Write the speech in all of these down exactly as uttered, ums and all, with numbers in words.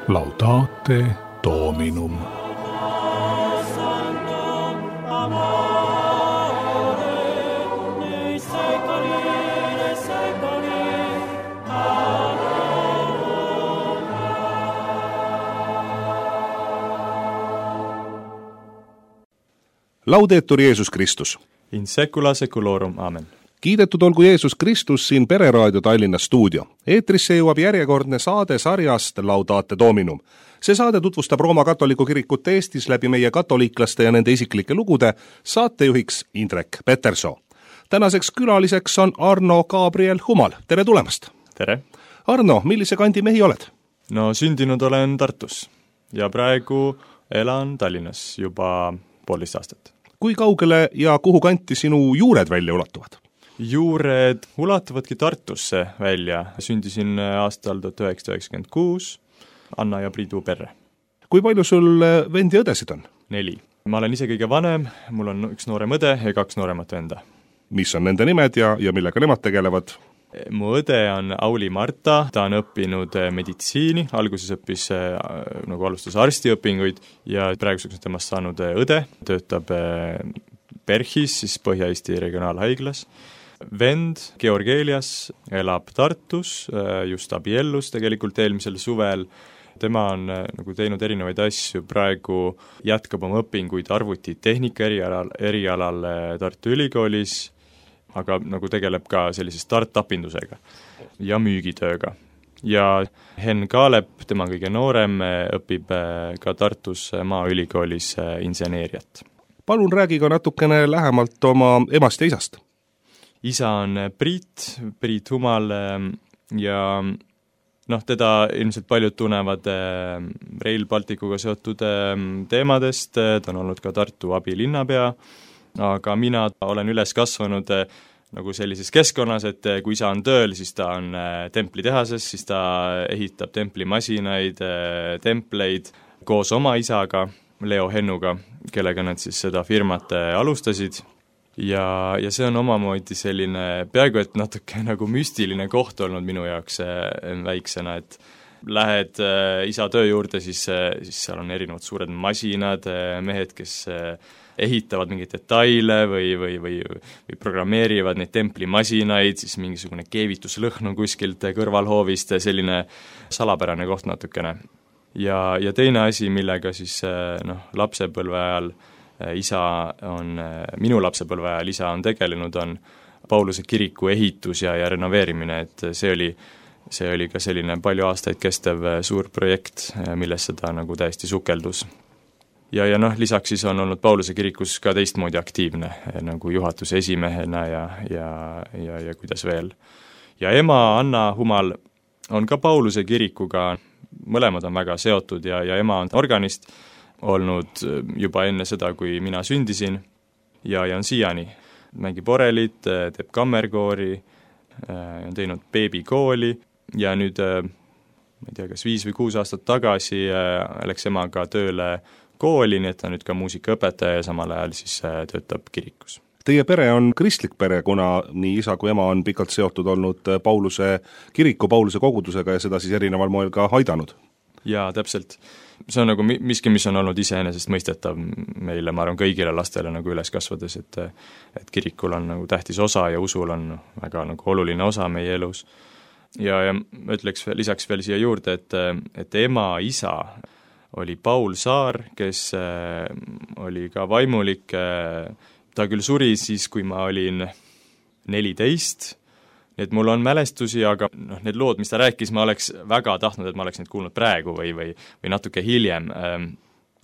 Laudate Dominum. Laudetur Jeesus Kristus. In secula seculorum, amen. Kiidetud olgu Jeesus Kristus, siin Pereraadio Tallinna stuudio. Eetrisse jõuab järjekordne saade sarjast Laudate Dominum. See saade tutvustab Rooma katoliku kirikut Eestis läbi meie katoliiklaste ja nende isiklike lugude, saatejuhiks Indrek Petersoo. Tänaseks külaliseks on Arno Gabriel Humal. Tere tulemast! Tere! Arno, millise kandi mehi oled? No sündinud olen Tartus ja praegu elan Tallinnas juba poolteist aastat. Kui kaugele ja kuhu kanti sinu juured välja ulatuvad? Juured ulatuvadki Tartusse välja. Sündisin aastal tuhat üheksasada üheksakümmend kuus Anna ja Priidu perre. Kui palju sul vendi ja õdesid on? Neli. Ma olen ise kõige vanem, mul on üks noorem õde ja kaks nooremat venda. Mis on nende nimed ja, ja millega nemad tegelevad? Mu õde on Auli Marta, ta on õppinud meditsiini, alguses õppis, nagu alustas arstiõpinguid ja praeguseks on temast saanud õde, töötab Perhis, siis Põhja-Eesti regionaalhaiglas. Vend Georg Elias elab Tartus, just abiellus tegelikult eelmisel suvel. Tema on nagu teinud erinevaid asju, praegu jätkab oma õpinguid arvutitehnika erialal, erialal Tartu Ülikoolis, aga nagu tegeleb ka sellise start-upindusega ja müügitööga. Ja Henn Kaalep, tema kõige noorem, õpib ka Tartus Maaülikoolis inseneeriat. Palun räägi ka natukene lähemalt oma emast ja isast. Isa on Priit, Priit Humal ja noh, teda ilmselt paljud tunnevad Rail Balticuga seotud teemadest, ta on olnud ka Tartu abilinnapea, aga mina olen üles kasvanud nagu sellises keskkonnas, et kui isa on tööl, siis ta on templitehases, siis ta ehitab templimasinaid, templeid koos oma isaga, Leo Hennuga, kellega nad siis seda firmat alustasid. Ja, ja see on omamoodi selline peaaegu et natuke nagu müstiline koht olnud minu jaoks väiksena, et lähed isa töö juurde, siis, siis seal on erinevad suured masinad, mehed, kes ehitavad mingeid detaile või, või, või, või programmeerivad neid templimasinaid, siis mingisugune keevituslõhn on kuskilt kõrvalhoovist, selline salapärane koht natukene. Ja, ja teine asi, millega siis noh, lapsepõlve ajal isa on, minu lapsepõlve ajal isa on tegelenud, on Pauluse kiriku ehitus ja, ja renoveerimine, et see oli, see oli ka selline palju aastaid kestev suur projekt, millesse ta nagu täiesti sukeldus. Ja, ja noh, lisaks siis on olnud Pauluse kirikus ka teistmoodi aktiivne, nagu juhatuse esimehena ja, ja, ja, ja kuidas veel. Ja ema Anna Humal on ka Pauluse kirikuga, mõlemad on väga seotud ja, ja ema on organist olnud juba enne seda, kui mina sündisin ja, ja on siiani. Mängib orelit, teeb kammerkoori, on teinud beebikooli ja nüüd, ma ei tea, kas viis või kuus aastat tagasi läks emaga tööle kooli, nii et ta nüüd ka muusikaõpetaja ja samal ajal siis töötab kirikus. Teie pere on kristlik pere, kuna nii isa kui ema on pikalt seotud olnud Pauluse kiriku, Pauluse kogudusega ja seda siis erineval moel ka aidanud. Jaa, täpselt. See on nagu miski, mis on olnud iseenesest mõistetav meile, ma arvan, kõigile lastele nagu üles kasvades, et, et kirikul on nagu tähtis osa ja usul on väga nagu oluline osa meie elus. Ja, ja ma ütleks lisaks veel siia juurde, et, et ema isa oli Paul Saar, kes oli ka vaimulik. Ta küll suri siis, kui ma olin neliteist, et mul on mälestusi, aga noh, need lood, mis ta rääkis, ma oleks väga tahtnud, et ma oleks neid kuulnud praegu või, või, või natuke hiljem.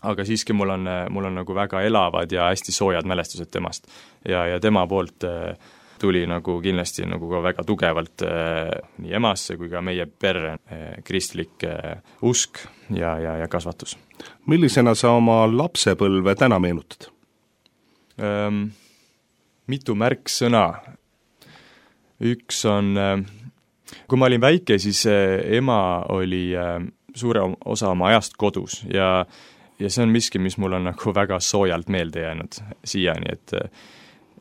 Aga siiski mul on, mul on nagu väga elavad ja hästi soojad mälestused temast. Ja, ja tema poolt tuli nagu kindlasti nagu ka väga tugevalt nii emasse kui ka meie perre kristlik usk ja, ja, ja kasvatus. Millisena sa oma lapsepõlve täna meenutad? Ähm, mitu märksõna. Üks on, kui ma olin väike, siis ema oli suure osa oma ajast kodus ja, ja see on miski, mis mul on nagu väga soojalt meelde jäänud siiani, et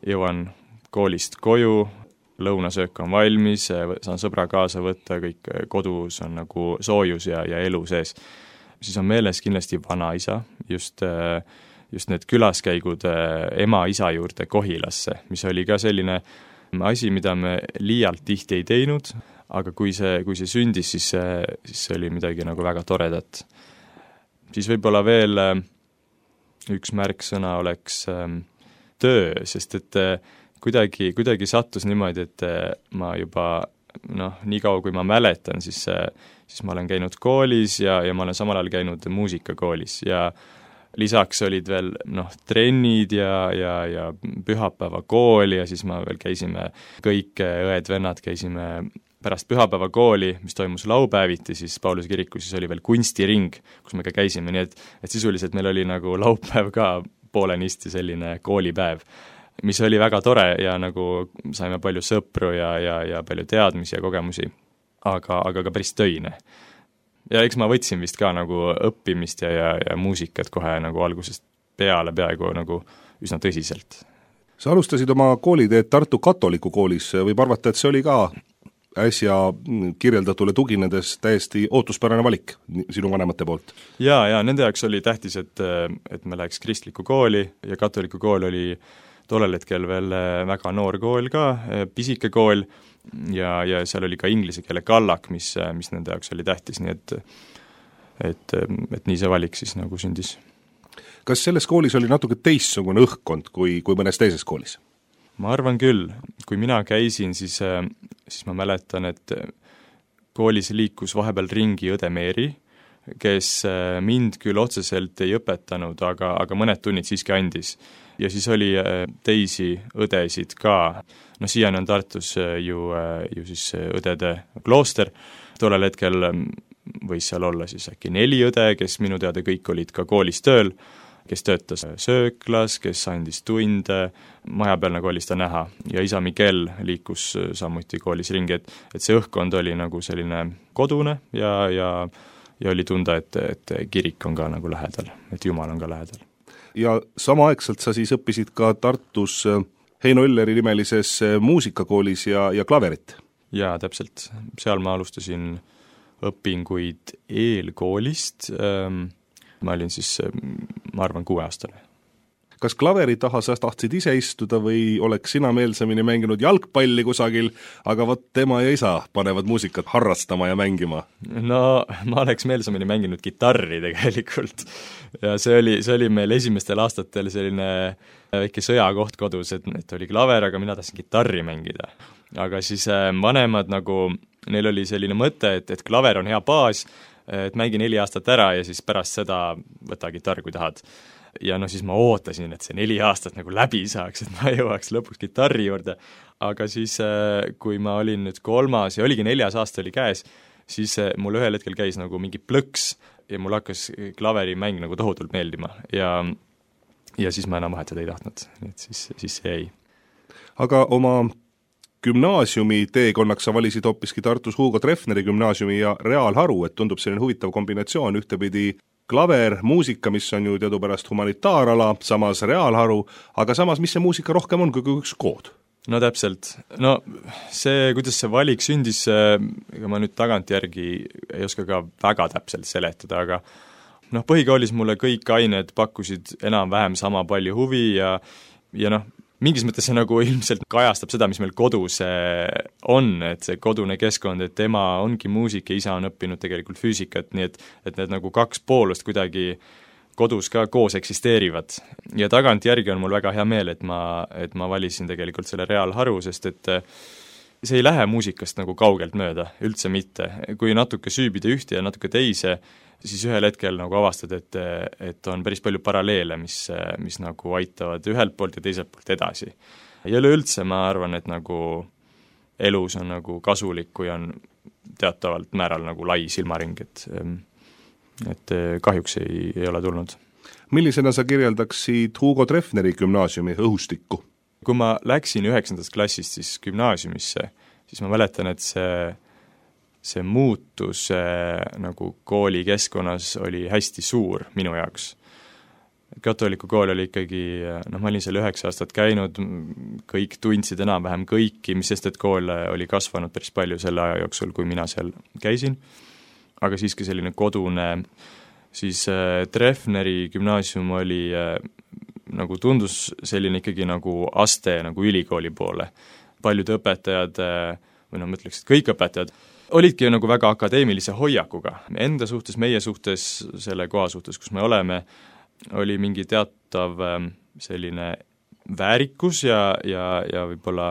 jõuan koolist koju, lõunasöök on valmis, saan sõbra kaasa võtta, kõik kodus on nagu soojus ja, ja elu sees. siis on meeles kindlasti vanaisa, just, just need külaskäigud ema-isa juurde Kohilasse, mis oli ka selline asi, mida me liialt tihti ei teinud, aga kui see, kui see sündis, siis see, siis see oli midagi nagu väga toredat. Siis võib-olla veel üks märksõna oleks töö, sest et kuidagi, kuidagi sattus niimoodi, et ma juba noh, nii kaua kui ma mäletan, siis, siis ma olen käinud koolis ja, ja ma olen samal ajal käinud muusikakoolis ja lisaks olid veel noh, trennid ja, ja, ja pühapäeva kooli ja siis ma veel käisime, kõik õed-vennad käisime pärast pühapäeva kooli, mis toimus laupäeviti, siis Pauluse kirikus, siis oli veel kunstiring, kus me ka käisime, nii et, et sisuliselt meil oli nagu laupäev ka poolenisti selline koolipäev, mis oli väga tore ja nagu saime palju sõpru ja, ja, ja palju teadmisi ja kogemusi, aga, aga ka päris töine. Ja eks ma võtsin vist ka nagu õppimist ja, ja, ja muusikat kohe nagu algusest peale peaaegu nagu üsna tõsiselt. Sa alustasid oma kooliteed Tartu katoliku koolis, võib arvata, et see oli ka äsja kirjeldatule tuginedes täiesti ootuspärane valik sinu vanemate poolt? Jaa, ja nende jaoks oli tähtis, et, et me läheks kristlikku kooli ja katoliku kool oli tollel hetkel veel väga noor kool ka, pisike kool ja, ja seal oli ka inglise keele kallak, mis, mis nende jaoks oli tähtis, nii et, et, et nii see valik siis nagu sündis. Kas selles koolis oli natuke teistsugune õhkkond kui, kui mõnes teises koolis? Ma arvan küll, kui mina käisin, siis, siis ma mäletan, et koolis liikus vahepeal ringi õde Meeri, kes mind küll otseselt ei õpetanud, aga, aga mõned tunnid siiski andis. Ja siis oli teisi õdesid ka, no siiani on Tartus ju, ju siis õdede klooster, tollel hetkel võis seal olla siis äkki neli õde, kes minu teada kõik olid ka koolis tööl, kes töötas sööklas, kes andis tunde, maja peal nagu oli seda näha ja isa Miguel liikus samuti koolis ringi, et, et see õhkkond oli nagu selline kodune ja, ja, ja oli tunda, et, et kirik on ka nagu lähedal, et Jumal on ka lähedal. Ja samaaegselt sa siis õppisid ka Tartus Heino Ülleri nimelises muusikakoolis ja, ja klaverit? Jaa, täpselt. Seal ma alustasin õpinguid eelkoolist, ma olin siis, ma arvan, kuueaastane. Kas klaveri taha sa tahtsid ise istuda või oleks sina meelsamini mänginud jalgpalli kusagil, aga vot tema ja isa panevad muusikat harrastama ja mängima? No ma oleks meelsamini mänginud kitarri tegelikult ja see oli, see oli meil esimestel aastatel selline väike sõjakoht kodus, et, et oli klaver, aga mina tahtsin kitarri mängida. Aga siis vanemad nagu, neil oli selline mõte, et, et klaver on hea baas, et mängi neli aastat ära ja siis pärast seda võta kitarr, kui tahad. Ja no siis ma ootasin, et see neli aastat nagu läbi saaks, et ma jõuaks lõpuks kitarri juurde, aga siis kui ma olin nüüd kolmas ja oligi neljas aasta oli käes, siis mul ühel hetkel käis nagu mingi plõks ja mul hakkas klaverimäng nagu tohutult meeldima ja, ja siis ma enam vahetada ei tahtnud, et siis, siis see jäi. Aga oma gümnaasiumi teekonnaks sa valisid hoopiski Tartus Hugo Treffneri gümnaasiumi ja reaalharu, et tundub selline huvitav kombinatsioon, ühtepidi klaver, muusika, mis on ju teadupärast humanitaarala, samas reaalharu, aga samas, mis see muusika rohkem on kui üks kood? No täpselt. No see, kuidas see valik sündis, ega ma nüüd tagantjärgi ei oska ka väga täpselt seletada, aga noh, põhikoolis mulle kõik ained pakkusid enam-vähem sama palju huvi ja, ja noh, mingis mõttes see nagu ilmselt kajastab seda, mis meil kodus on, et see kodune keskkond, et ema ongi muusik ja isa on õppinud tegelikult füüsikat, nii et, et need nagu kaks poolust kuidagi kodus ka koos eksisteerivad. Ja tagantjärgi on mul väga hea meel, et ma, et ma valisin tegelikult selle reaalharu, sest et see ei lähe muusikast nagu kaugelt mööda, üldse mitte. Kui natuke süübida ühte ja natuke teise, siis ühel hetkel nagu avastad, et, et on päris palju paralleele, mis, mis nagu aitavad ühelt poolt ja teiselt poolt edasi. Ja üleüldse ma arvan, et nagu elus on nagu kasulik, kui on teatavalt määral nagu lai silmaring, et, et kahjuks ei, ei ole tulnud. Millisena sa kirjeldaksid Hugo Treffneri gümnaasiumi õhustikku? Kui ma läksin üheksandast klassist siis gümnaasiumisse, siis ma mäletan, et see see muutus äh, nagu kooli keskkonnas oli hästi suur minu jaoks. Katoliku kool oli ikkagi, noh ma olin seal üheksa aastat käinud, kõik tundsid enam-vähem kõiki, mis sest, et kool oli kasvanud päris palju selle aja jooksul, kui mina seal käisin, aga siiski selline kodune siis äh, Treffneri gümnaasium oli äh, nagu tundus selline ikkagi nagu aste nagu ülikooli poole. Paljud õpetajad, või noh, ma ütleks, et kõik õpetajad, olidki nagu väga akadeemilise hoiakuga. Enda suhtes, meie suhtes, selle koha suhtes, kus me oleme, oli mingi teatav selline väärikus ja, ja, ja võib-olla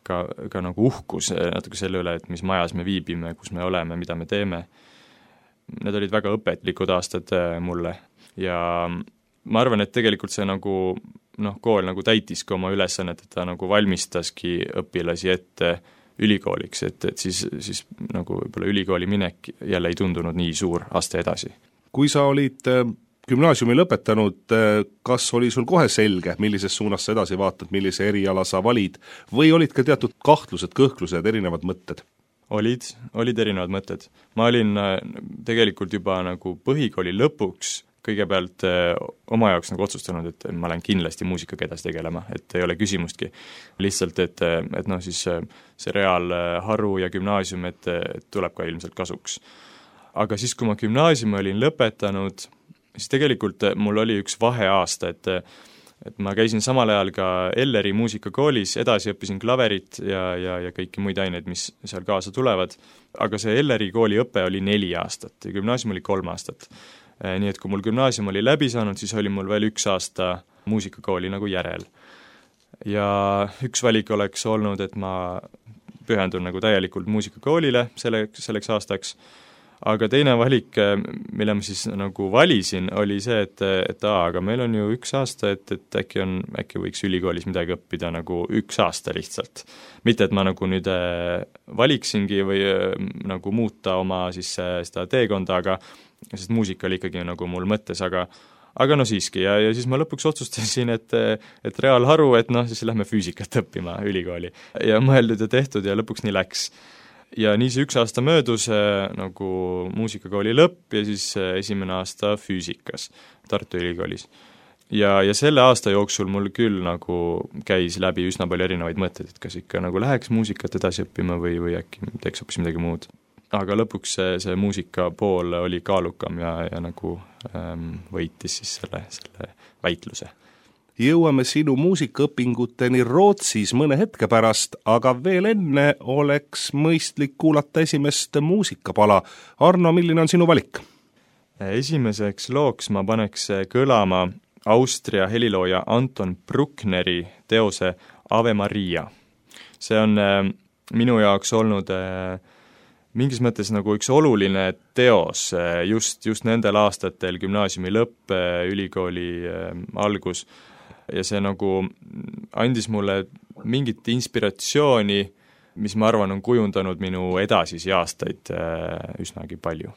ka, ka nagu uhkus natuke selle üle, et mis majas me viibime, kus me oleme, mida me teeme. Need olid väga õpetlikud aastad mulle ja ma arvan, et tegelikult see nagu, noh, kool nagu täitiski oma ülesannet, et ta nagu valmistaski õpilasi ette ülikooliks, et, et siis, siis nagu võib-olla ülikooli minek jälle ei tundunud nii suur aste edasi. Kui sa olid gümnaasiumi lõpetanud, kas oli sul kohe selge, millises suunas sa edasi vaatad, millise eriala sa valid, või olid ka teatud kahtlused, kõhklused, erinevad mõtted? Olid, olid erinevad mõtted. Ma olin tegelikult juba nagu põhikooli lõpuks kõigepealt eh, oma jaoks nagu otsustanud, et ma olen kindlasti muusikaga edasi tegelema, et ei ole küsimustki. Lihtsalt, et, et noh, siis see reaalharu ja gümnaasium, et, et tuleb ka ilmselt kasuks. Aga siis, kui ma gümnaasiumi olin lõpetanud, siis tegelikult mul oli üks vaheaasta, et, et ma käisin samal ajal ka Elleri muusikakoolis, edasi õppisin klaverit ja, ja, ja kõiki muid aineid, mis seal kaasa tulevad. Aga see Elleri kooli õpe oli neli aastat ja gümnaasium oli kolm aastat. Nii et kui mul gümnaasium oli läbi saanud, siis oli mul veel üks aasta muusikakooli nagu järel. Ja üks valik oleks olnud, et ma pühendun nagu täielikult muusikakoolile selleks, selleks aastaks, aga teine valik, mille ma siis nagu valisin, oli see, et, et aa, aga meil on ju üks aasta, et, et äkki, on, äkki võiks ülikoolis midagi õppida nagu üks aasta lihtsalt. Mitte, et ma nagu nüüd valiksingi või nagu muuta oma siis seda teekonda, aga sest muusika oli ikkagi nagu mul mõttes, aga aga no siiski, ja, ja siis ma lõpuks otsustasin, et, et reaalharu, et noh, siis lähme füüsikat õppima ülikooli. Ja mõeldud ja tehtud ja lõpuks nii läks. Ja nii see üks aasta möödus nagu muusikakooli lõpp ja siis esimene aasta füüsikas Tartu Ülikoolis. Ja, ja selle aasta jooksul mul küll nagu käis läbi üsna palju erinevaid mõtteid, et kas ikka nagu läheks muusikat edasi õppima või, või äkki teeks hoopis midagi muud. Aga lõpuks see, see muusika pool oli kaalukam ja, ja nagu ähm, võitis siis selle, selle väitluse. Jõuame sinu muusikaõpinguteni Rootsis mõne hetke pärast, aga veel enne oleks mõistlik kuulata esimest muusikapala. Arno, milline on sinu valik? Esimeseks looks ma paneks kõlama Austria helilooja Anton Bruckneri teose Ave Maria. See on äh, minu jaoks olnud äh, mingis mõttes nagu üks oluline teos just, just nendel aastatel, gümnaasiumi lõpp, ülikooli algus, ja see nagu andis mulle mingit inspiratsiooni, mis ma arvan on kujundanud minu edasisi aastaid üsnagi palju.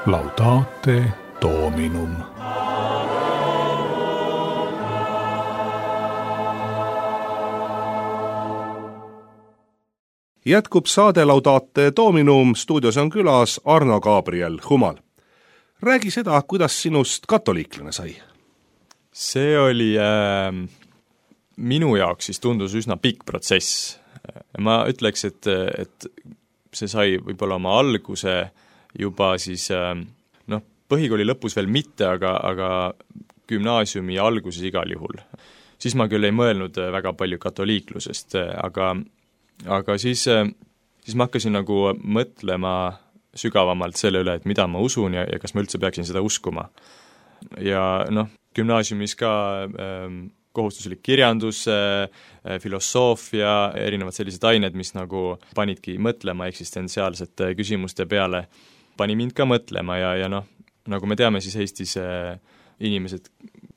Laudate Dominum. Jätkub saade Laudate Dominum, stuudios on külas Arno Gabriel Humal. Räägi seda, kuidas sinust katoliiklane sai? See oli äh, minu jaoks siis tundus üsna pikk protsess. Ma ütleks, et, et see sai võib-olla oma alguse juba siis äh, noh, põhikooli lõpus veel mitte, aga, aga gümnaasiumi alguses igal juhul. Siis ma küll ei mõelnud väga palju katoliiklusest, aga aga siis, siis ma hakkasin nagu mõtlema sügavamalt selle üle, et mida ma usun ja, ja kas ma üldse peaksin seda uskuma. Ja noh, gümnaasiumis ka äh, kohustuslik kirjandus, äh, filosoofia, erinevad sellised ained, mis nagu panidki mõtlema eksistentsiaalsete küsimuste peale, pani mind ka mõtlema ja, ja noh, nagu me teame, siis Eestis äh, inimesed,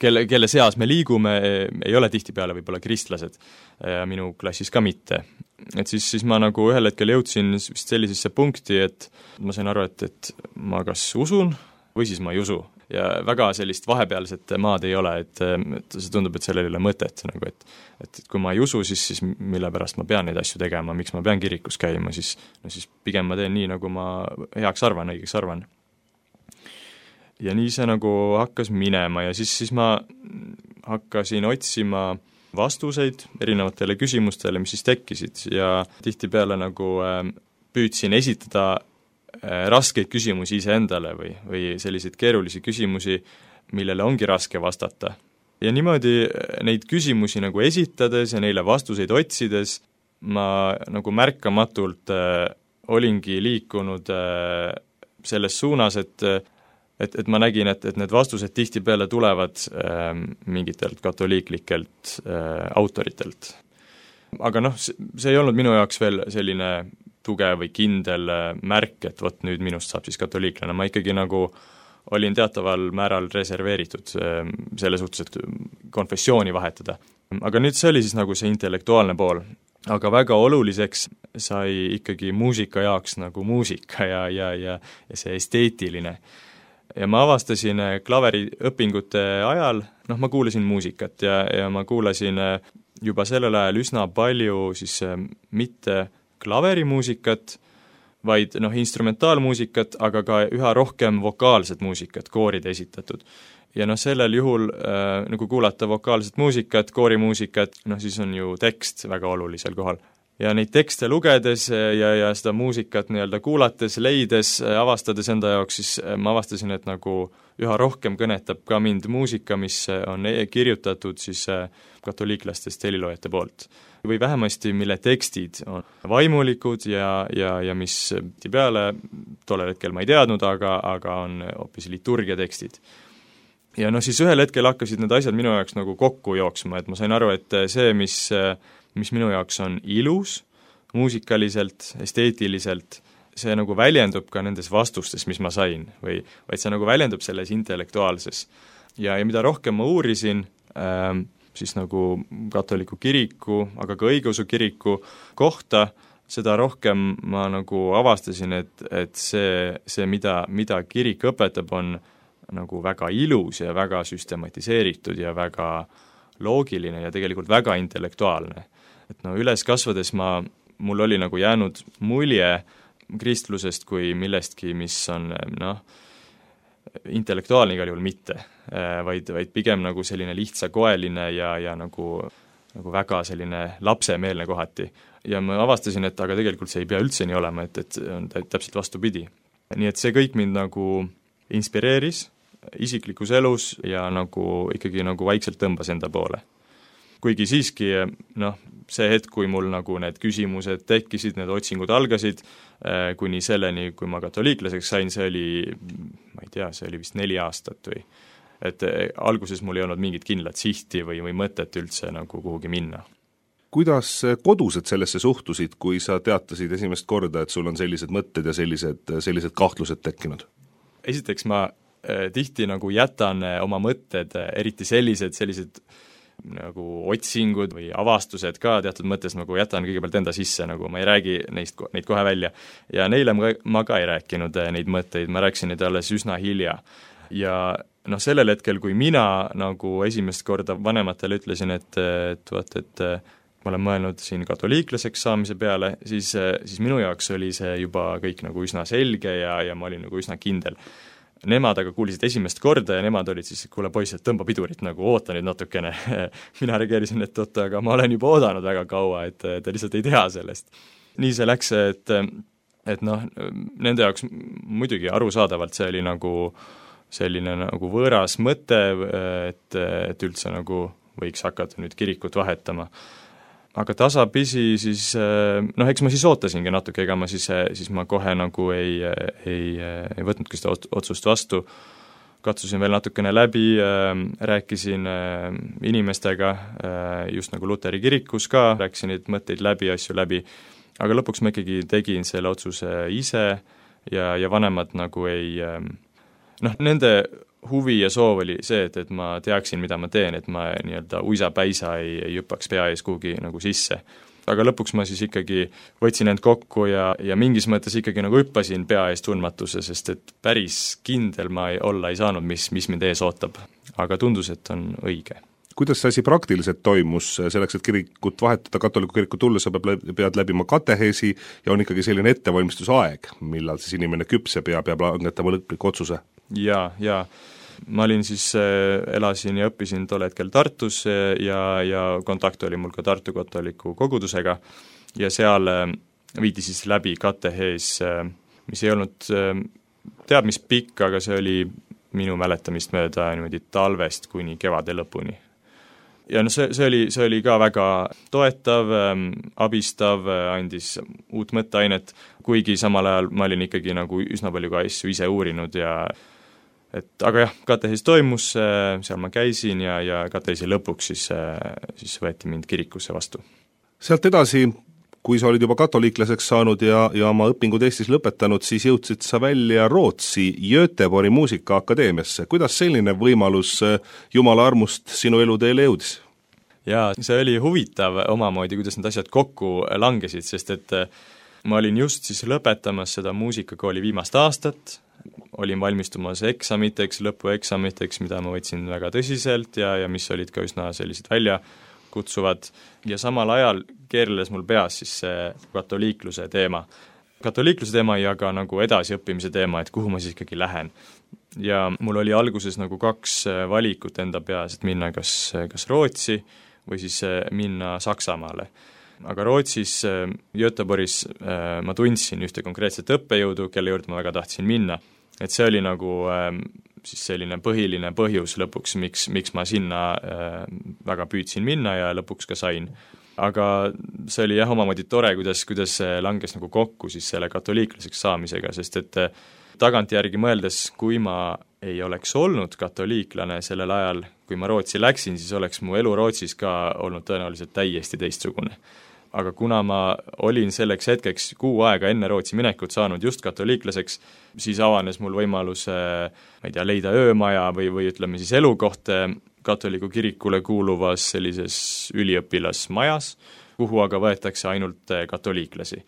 kelle, kelle seas me liigume, ei ole tihtipeale võib-olla kristlased ja minu klassis ka mitte. Et siis, siis ma nagu ühel hetkel jõudsin vist sellisesse punkti, et ma sain aru, et, et ma kas usun või siis ma ei usu. Ja väga sellist vahepealset maad ei ole, et, et see tundub, et sellel ei ole mõtet. Nagu, et, et kui ma ei usu, siis, siis mille pärast ma pean neid asju tegema, miks ma pean kirikus käima, siis, no siis pigem ma teen nii, nagu ma heaks arvan, õigeks arvan. Ja nii see nagu hakkas minema ja siis, siis ma hakkasin otsima vastuseid erinevatele küsimustele, mis siis tekkisid ja tihtipeale nagu püüdsin esitada raskeid küsimusi iseendale või, või selliseid keerulisi küsimusi, millele ongi raske vastata. Ja niimoodi neid küsimusi nagu esitades ja neile vastuseid otsides ma nagu märkamatult olingi liikunud selles suunas, et Et, et ma nägin, et, et need vastused tihtipeale tulevad äh, mingitelt katoliiklikelt äh, autoritelt. Aga noh, see ei olnud minu jaoks veel selline tugev või kindel äh, märk, et vot nüüd minust saab siis katoliiklane. Ma ikkagi nagu olin teataval määral reserveeritud äh, selle suhtes, et konfessiooni vahetada. Aga nüüd see oli siis nagu see intellektuaalne pool. Aga väga oluliseks sai ikkagi muusika jaoks nagu muusika ja, ja, ja, ja see esteetiline. Ja ma avastasin klaveriõpingute ajal, noh ma kuulasin muusikat ja, ja ma kuulasin juba sellel ajal üsna palju siis mitte klaverimuusikat, vaid noh instrumentaalmuusikat, aga ka üha rohkem vokaalset muusikat, kooride esitatud. Ja noh sellel juhul äh, nagu kuulata vokaalset muusikat, koorimuusikat, noh siis on ju tekst väga olulisel kohal. Ja neid tekste lugedes ja, ja seda muusikat nii-öelda kuulates, leides, avastades enda jaoks, siis ma avastasin, et nagu üha rohkem kõnetab ka mind muusika, mis on kirjutatud siis katoliiklastest heliloojate poolt. Või vähemasti, mille tekstid on vaimulikud ja, ja, ja mis peale tollel hetkel ma ei teadnud, aga, aga on hoopis liturgia tekstid. Ja noh, siis ühel hetkel hakkasid need asjad minu jaoks nagu kokku jooksma, et ma sain aru, et see, mis mis minu jaoks on ilus, muusikaliselt, esteetiliselt, see nagu väljendub ka nendes vastustes, mis ma sain, või vaid see nagu väljendub selles intellektuaalses. Ja, ja mida rohkem ma uurisin, ähm, siis nagu katoliku kiriku, aga ka õigeusu kiriku kohta, seda rohkem ma nagu avastasin, et, et see, see mida, mida kirik õpetab, on nagu väga ilus ja väga süstematiseeritud ja väga loogiline ja tegelikult väga intellektuaalne. Et no üles kasvades ma, mul oli nagu jäänud mulje kristlusest kui millestki, mis on noh, intellektuaalne igal juhul mitte, vaid, vaid pigem nagu selline lihtsakoeline ja, ja nagu, nagu väga selline lapsemeelne kohati. Ja ma avastasin, et aga tegelikult see ei pea üldse nii olema, et, et on täpselt vastupidi. Nii et see kõik mind nagu inspireeris isiklikus elus ja nagu ikkagi nagu vaikselt tõmbas enda poole. Kuigi siiski, noh, see hetk, kui mul nagu need küsimused tekkisid, need otsingud algasid, kuni selleni, kui ma katoliiklaseks sain, see oli, ma ei tea, see oli vist neli aastat või, et alguses mul ei olnud mingit kindlat sihti või, või mõtet üldse nagu kuhugi minna. Kuidas kodused sellesse suhtusid, kui sa teatasid esimest korda, et sul on sellised mõtted ja sellised, sellised kahtlused tekkinud? Esiteks ma tihti nagu jätan oma mõtted, eriti sellised, sellised nagu otsingud või avastused ka teatud mõttes nagu jätan kõigepealt enda sisse, nagu ma ei räägi neist, neid kohe välja. Ja neile ma, ma ka ei rääkinud neid mõtteid, ma rääkisin neid alles üsna hilja. Ja noh, sellel hetkel, kui mina nagu esimest korda vanematele ütlesin, et, et, vaat, et ma olen mõelnud siin katoliiklaseks saamise peale, siis, siis minu jaoks oli see juba kõik nagu üsna selge ja, ja ma olin nagu üsna kindel. Nemad aga kuulisid esimest korda ja nemad olid siis, kuule poiss, et tõmba pidurit, nagu oota nüüd natukene. Mina reageerisin, et oota, aga ma olen juba oodanud väga kaua, et te lihtsalt ei tea sellest. Nii see läks, et, et noh, nende jaoks muidugi arusaadavalt see oli nagu selline nagu võõras mõte, et, et üldse nagu võiks hakata nüüd kirikut vahetama. Aga tasapisi siis, noh, eks ma siis ootasingi natuke, ega ma siis, siis ma kohe nagu ei, ei, ei võtnudki seda otsust vastu. Katsusin veel natukene läbi, rääkisin inimestega, just nagu Luteri kirikus ka, rääkisin neid mõtteid läbi, asju läbi, aga lõpuks ma ikkagi tegin selle otsuse ise ja, ja vanemad nagu ei, noh, nende huvi ja soov oli see, et, et ma teaksin, mida ma teen, et ma nii-öelda uisapäisa ei, ei hüppaks pea ees kuhugi nagu sisse. Aga lõpuks ma siis ikkagi võtsin end kokku ja, ja mingis mõttes ikkagi nagu hüppasin pea ees tundmatuse, sest et päris kindel ma ei, olla ei saanud, mis, mis mind ees ootab. Aga tundus, et on õige. Kuidas see asi praktiliselt toimus selleks, et kirikut vahetada, katoliku kirikut tulla, sa pead läbima kateheesi ja on ikkagi selline ettevalmistusaeg, millal siis inimene küpseb ja peab langetama lõpliku otsuse? Jaa, jaa. Ma olin siis, elasin ja õppisin tol hetkel Tartus ja, ja kontakt oli mul ka Tartu katoliku kogudusega ja seal viidi siis läbi katehees, mis ei olnud teab mis pikk, aga see oli minu mäletamist mööda niimoodi talvest kuni kevade lõpuni. Ja no see, see, oli, see oli ka väga toetav, abistav, andis uut mõtteainet, kuigi samal ajal ma olin ikkagi nagu üsna palju ka asju ise uurinud ja et, aga jah, katehees toimus, seal ma käisin ja, ja kateheesi lõpuks siis, siis võeti mind kirikusse vastu. Sealt edasi, kui sa olid juba katoliiklaseks saanud ja, ja oma õpingud Eestis lõpetanud, siis jõudsid sa välja Rootsi Göteborgi muusikaakadeemiasse. Kuidas selline võimalus Jumala armust sinu eluteele jõudis? Jaa, see oli huvitav omamoodi, kuidas need asjad kokku langesid, sest et ma olin just siis lõpetamas seda muusikakooli viimast aastat, olin valmistumas eksamiteks, lõpueksamiteks, mida ma võtsin väga tõsiselt ja, ja mis olid ka üsna sellised välja kutsuvad ja samal ajal keerles mul peas siis see katoliikluse teema. Katoliikluse teema ja ka nagu edasiõppimise teema, et kuhu ma siis ikkagi lähen. Ja mul oli alguses nagu kaks valikut enda peas, et minna kas, kas Rootsi või siis minna Saksamaale. Aga Rootsis, Göteborgis ma tundsin ühte konkreetset õppejõudu, kelle juurde ma väga tahtsin minna. Et see oli nagu siis selline põhiline põhjus lõpuks, miks, miks ma sinna väga püüdsin minna ja lõpuks ka sain. Aga see oli jah omamoodi tore, kuidas, kuidas see langes nagu kokku siis selle katoliiklaseks saamisega, sest et tagantjärgi mõeldes, kui ma ei oleks olnud katoliiklane sellel ajal, kui ma Rootsi läksin, siis oleks mu elu Rootsis ka olnud tõenäoliselt täiesti teistsugune. Aga kuna ma olin selleks hetkeks kuu aega enne Rootsi minekut saanud just katoliiklaseks, siis avanes mul võimalus ma ei tea, leida öömaja või, või ütleme siis elukoht katoliku kirikule kuuluvas sellises üliõpilasmajas, kuhu aga võetakse ainult katoliiklasi.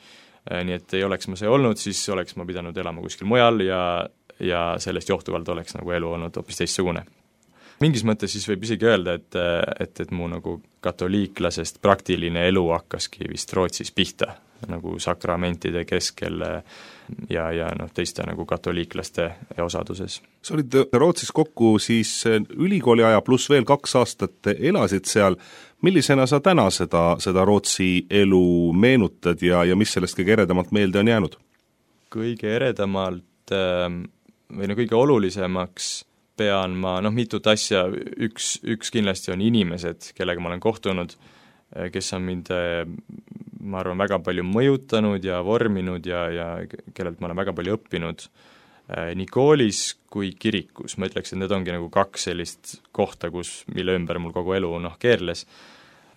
Nii et ei oleks ma see olnud, siis oleks ma pidanud elama kuskil mujal ja, ja sellest johtuvalt oleks nagu elu olnud hoopis teistsugune. Mingis mõttes siis võib isegi öelda, et, et, et mu nagu katoliiklasest praktiline elu hakkaski vist Rootsis pihta, nagu sakramentide keskel ja, ja noh, teiste nagu katoliiklaste osaduses. Sa olid Rootsis kokku siis ülikooli aja pluss veel kaks aastat elasid seal. Millisena sa täna seda, seda Rootsi elu meenutad ja, ja mis sellest kõige eredamalt meelde on jäänud? Kõige eredamalt või no kõige olulisemaks pean ma, noh, mitut asja, üks, üks kindlasti on inimesed, kellega ma olen kohtunud, kes on mind, ma arvan, väga palju mõjutanud ja vorminud ja, ja kellelt ma olen väga palju õppinud nii koolis kui kirikus. Ma ütleks, et need ongi nagu kaks sellist kohta, kus, mille ümber mul kogu elu noh, keerles.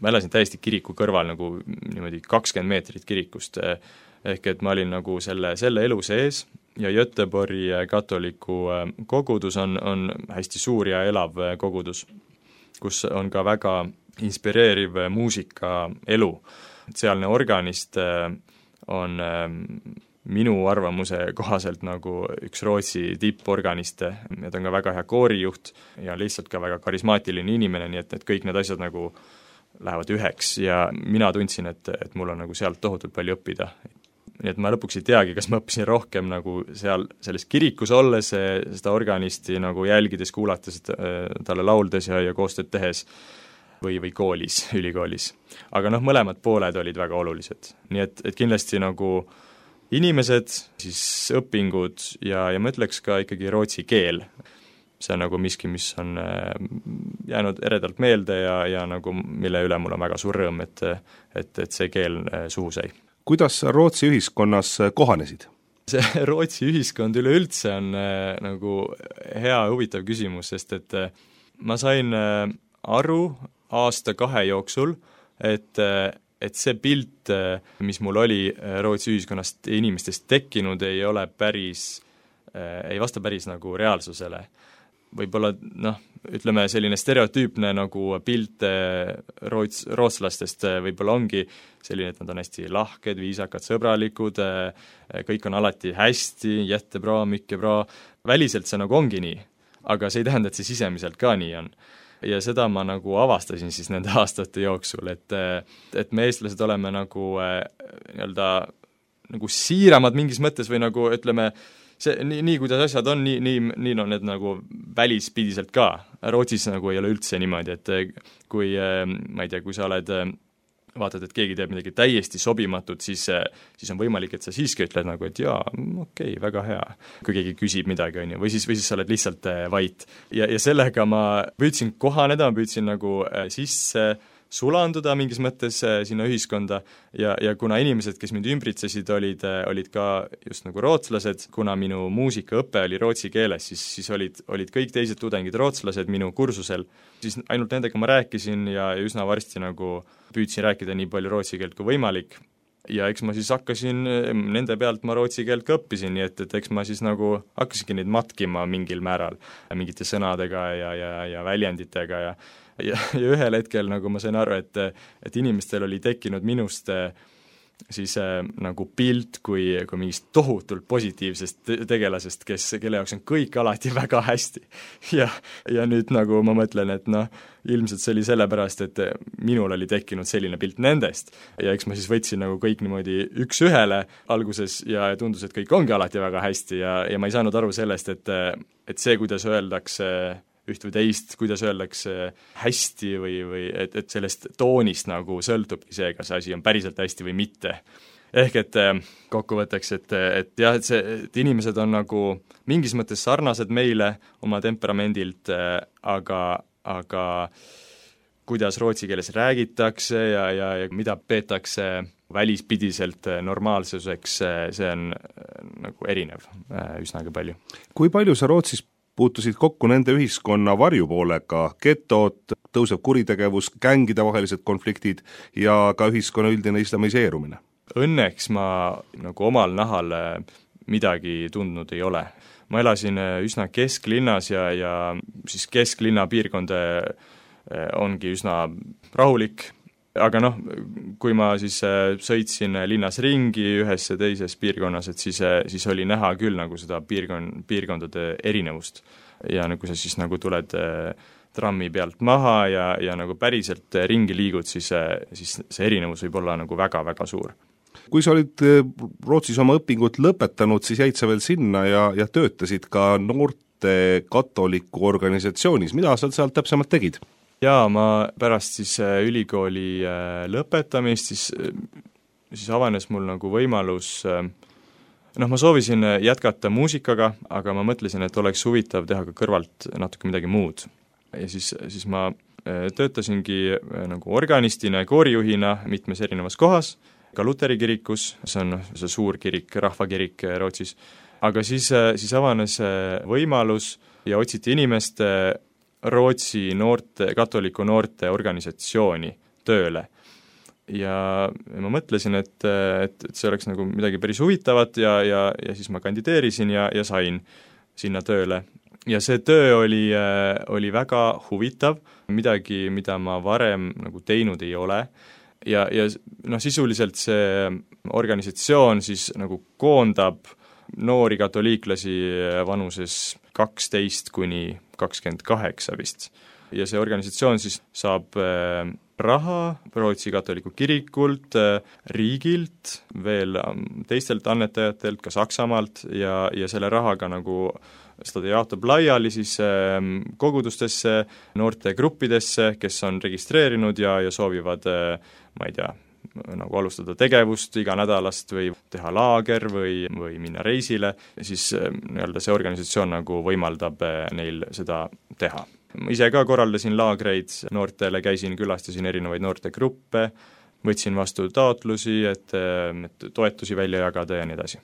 Ma elasin täiesti kiriku kõrval nagu niimoodi kakskümmend meetrit kirikust, ehk et ma olin nagu selle, selle elu sees ja Göteborgi katoliku kogudus on, on hästi suur ja elav kogudus, kus on ka väga inspireeriv muusika elu. Sealne organist on minu arvamuse kohaselt nagu üks Rootsi tipporganiste ja ta on ka väga hea koorijuht ja lihtsalt ka väga karismaatiline inimene, nii et, et kõik need asjad nagu lähevad üheks ja mina tundsin, et, et mul on nagu sealt tohutult palju õppida. Nii et ma lõpuks ei teagi, kas ma õppisin rohkem nagu seal selles kirikus olles, seda organisti nagu jälgides, kuulates, talle lauldes ja, ja koostööd tehes või, või koolis, ülikoolis. Aga noh, mõlemad pooled olid väga olulised. Nii et, et kindlasti nagu inimesed, siis õpingud ja, ja ma ütleks ka ikkagi rootsi keel. See on nagu miski, mis on jäänud eredalt meelde ja, ja nagu mille üle mul on väga suur rõõm, et, et, et see keel suhu sai. Kuidas Rootsi ühiskonnas kohanesid? See Rootsi ühiskond üleüldse on nagu hea huvitav küsimus, sest et ma sain aru aasta kahe jooksul, et, et see pilt, mis mul oli Rootsi ühiskonnast inimestest tekkinud, ei ole päris, ei vasta päris nagu reaalsusele. Võib-olla, noh, ütleme selline stereotüüpne nagu pilt roots, rootslastest võib-olla ongi selline, et nad on hästi lahked, viisakad, sõbralikud, kõik on alati hästi, jättebra, mikkebra, väliselt see nagu ongi nii, aga see ei tähenda, et see sisemiselt ka nii on. Ja seda ma nagu avastasin siis nende aastate jooksul, et, et me eestlased oleme nagu nii-öelda nagu siiramad mingis mõttes või nagu ütleme, see, nii, nii kuidas asjad on, nii, nii, nii on need nagu välispidiselt ka. Rootsis nagu ei ole üldse niimoodi, et kui, ma ei tea, kui sa oled, vaatad, et keegi teeb midagi täiesti sobimatut, siis, siis on võimalik, et sa siiski ütled nagu, et jaa, okei, okay, väga hea, kui keegi küsib midagi, on ju, või siis, või siis sa oled lihtsalt vait. Ja, ja sellega ma püüdsin kohaneda, ma püüdsin nagu sisse sulanduda mingis mõttes sinna ühiskonda ja, ja kuna inimesed, kes mind ümbritsesid, olid, olid ka just nagu rootslased, kuna minu muusikaõpe oli rootsi keeles, siis, siis olid, olid kõik teised tudengid rootslased minu kursusel, siis ainult nendega ma rääkisin ja, ja üsna varsti nagu püüdsin rääkida nii palju rootsi keelt kui võimalik. Ja eks ma siis hakkasin, nende pealt ma rootsi keelt ka õppisin, nii et, et eks ma siis nagu hakkasingi neid matkima mingil määral, mingite sõnadega ja, ja, ja väljenditega ja Ja, ja ühel hetkel nagu ma sain aru, et, et inimestel oli tekkinud minust siis äh, nagu pilt kui, kui mingist tohutult positiivsest tegelasest, kes, kelle jaoks on kõik alati väga hästi. Ja, ja nüüd nagu ma mõtlen, et noh, ilmselt see oli sellepärast, et minul oli tekkinud selline pilt nendest ja eks ma siis võtsin nagu kõik niimoodi üks ühele alguses ja tundus, et kõik ongi alati väga hästi ja, ja ma ei saanud aru sellest, et, et see, kuidas öeldakse üht või teist, kuidas öeldakse hästi või, või et, et sellest toonist nagu sõltubki see, kas asi on päriselt hästi või mitte. Ehk et kokkuvõtteks, et, et jah, et, see, et inimesed on nagu mingis mõttes sarnased meile oma temperamendilt, aga, aga kuidas rootsi keeles räägitakse ja, ja, ja mida peetakse välispidiselt normaalsuseks, see on nagu erinev üsnagi palju. Kui palju sa Rootsis puutusid kokku nende ühiskonna varjupoolega, getod, tõuseb kuritegevus, gängide vahelised konfliktid ja ka ühiskonna üldine islamiseerumine? Õnneks ma nagu omal nahal midagi tundnud ei ole. Ma elasin üsna kesklinnas ja, ja siis kesklinna piirkond ongi üsna rahulik, aga noh, kui ma siis sõitsin linnas ringi ühes ja teises piirkonnas, et siis, siis oli näha küll nagu seda piirkon, piirkondade erinevust. Ja nagu sa siis nagu tuled trammi pealt maha ja, ja nagu päriselt ringi liigud, siis, siis see erinevus võib olla nagu väga-väga suur. Kui sa olid Rootsis oma õpingut lõpetanud, siis jäid sa veel sinna ja, ja töötasid ka noorte katoliku organisatsioonis. Mida sa sealt täpsemalt tegid? Jaa, ma pärast siis ülikooli lõpetamist, siis, siis avanes mul nagu võimalus, noh, ma soovisin jätkata muusikaga, aga ma mõtlesin, et oleks huvitav teha ka kõrvalt natuke midagi muud. Ja siis, siis ma töötasingi nagu organistina ja koorijuhina mitmes erinevas kohas, ka Luteri kirikus, see on see suur kirik, rahvakirik Rootsis, aga siis, siis avanes võimalus ja otsiti inimest Rootsi noorte, katoliku noorte organisatsiooni tööle. Ja ma mõtlesin, et, et, et see oleks nagu midagi päris huvitavat ja, ja, ja siis ma kandideerisin ja, ja sain sinna tööle. ja see töö oli, oli väga huvitav, midagi, mida ma varem nagu teinud ei ole, ja, ja noh, sisuliselt see organisatsioon siis nagu koondab noori katoliiklasi vanuses kaksteist kuni kakskümmend kaheksa vist. Ja see organisatsioon siis saab raha Rootsi katoliku kirikult, riigilt, veel teistelt annetajatelt, ka Saksamaalt, ja, ja selle rahaga nagu seda jaotab laiali siis kogudustesse, noortegruppidesse, kes on registreerinud ja, ja soovivad, ma ei tea, nagu alustada tegevust iganädalast või teha laager või, või minna reisile, siis nii-öelda see organisatsioon nagu võimaldab neil seda teha. Ma ise ka korraldasin laagreid noortele, käisin, külastasin erinevaid noortegruppe, võtsin vastu taotlusi, et, et toetusi välja jagada ja nii edasi.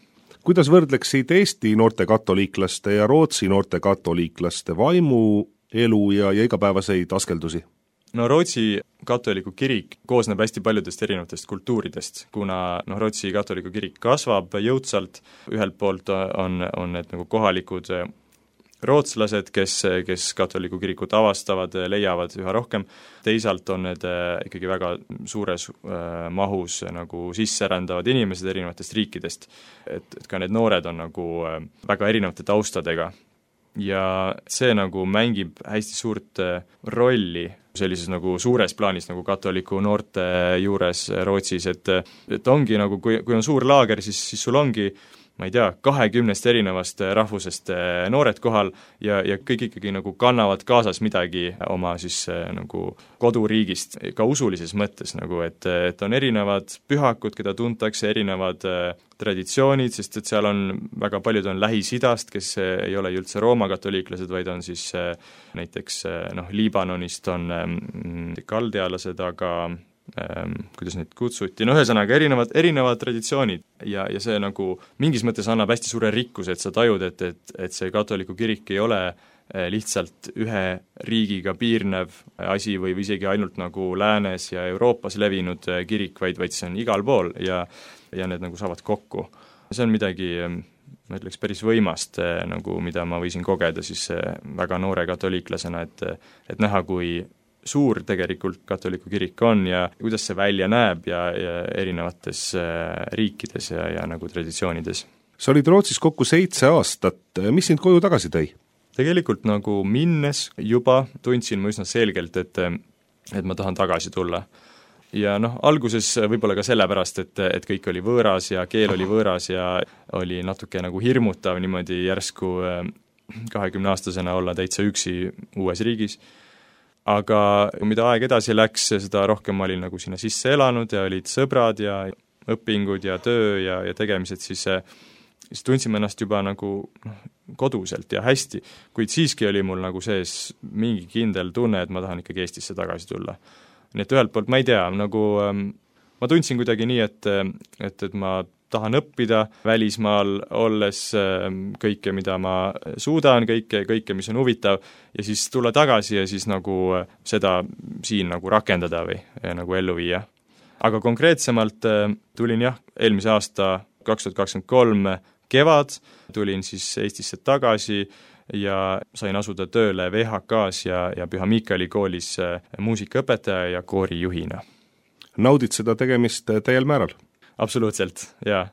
Kuidas võrdleksid Eesti noorte katoliiklaste ja Rootsi noorte katoliiklaste vaimu, elu ja, ja igapäevaseid askeldusi? No Rootsi katoliku kirik koosneb hästi paljudest erinevatest kultuuridest, kuna no, Rootsi katoliku kirik kasvab jõudsalt, ühelt poolt on, on need nagu kohalikud rootslased, kes, kes katoliku kirikut avastavad, leiavad üha rohkem, teisalt on need ikkagi väga suures mahus nagu sisserändavad inimesed erinevatest riikidest, et, et ka need noored on nagu väga erinevate taustadega. Ja see nagu mängib hästi suurt rolli sellises nagu suures plaanis nagu katoliku noorte juures Rootsis, et, et ongi nagu, kui, kui on suur laager, siis, siis sul ongi ma ei tea, kahekümnest erinevast rahvusest noored kohal ja, ja kõik ikkagi nagu kannavad kaasas midagi oma siis nagu koduriigist, ka usulises mõttes nagu, et, et on erinevad pühakud, keda tuntakse, erinevad traditsioonid, sest et seal on väga paljud on Lähis-Idast, kes ei ole üldse Rooma katoliiklased, vaid on siis näiteks noh, Liibanonist on kaldealased, aga Ähm, kuidas neid kutsuti, no ühesõnaga erinevad, erinevad traditsioonid ja, ja see nagu mingis mõttes annab hästi suure rikkuse, et sa tajud, et, et, et see katoliku kirik ei ole lihtsalt ühe riigiga piirnev asi või isegi ainult nagu Läänes ja Euroopas levinud kirik, vaid, vaid see on igal pool ja, ja need nagu saavad kokku. See on midagi, ma ütleks, päris võimast, nagu, mida ma võisin kogeda siis väga noore katoliiklasena, et, et näha, kui suur tegelikult katoliku kirik on ja kuidas see välja näeb ja, ja erinevates riikides ja, ja nagu traditsioonides. Sa olid Rootsis kokku seitse aastat, mis sind koju tagasi tõi? Tegelikult nagu minnes juba tundsin ma üsna selgelt, et, et ma tahan tagasi tulla. Ja noh, alguses võib-olla ka sellepärast, et, et kõik oli võõras ja keel oli võõras ja oli natuke nagu hirmutav niimoodi järsku kahekümne aastasena olla täitsa üksi uues riigis. Aga mida aeg edasi läks, seda rohkem ma olin nagu sinna sisse elanud ja olid sõbrad ja õpingud ja töö ja, ja tegemised, siis, siis tundsime ennast juba nagu noh, koduselt ja hästi, kuid siiski oli mul nagu sees mingi kindel tunne, et ma tahan ikkagi Eestisse tagasi tulla. Nii et ühelt poolt ma ei tea, nagu ma tundsin kuidagi nii, et, et, et ma tahan õppida välismaal olles kõike, mida ma suudan, kõike, kõike, mis on huvitav, ja siis tulla tagasi ja siis nagu seda siin nagu rakendada või nagu ellu viia. Aga konkreetsemalt tulin jah, eelmise aasta kaks tuhat kakskümmend kolm kevad, tulin siis Eestisse tagasi ja sain asuda tööle V H K-s ja, ja Püha Miikali koolis muusikaõpetaja ja koorijuhina. Naudid seda tegemist täiel määral? Absoluutselt, jaa.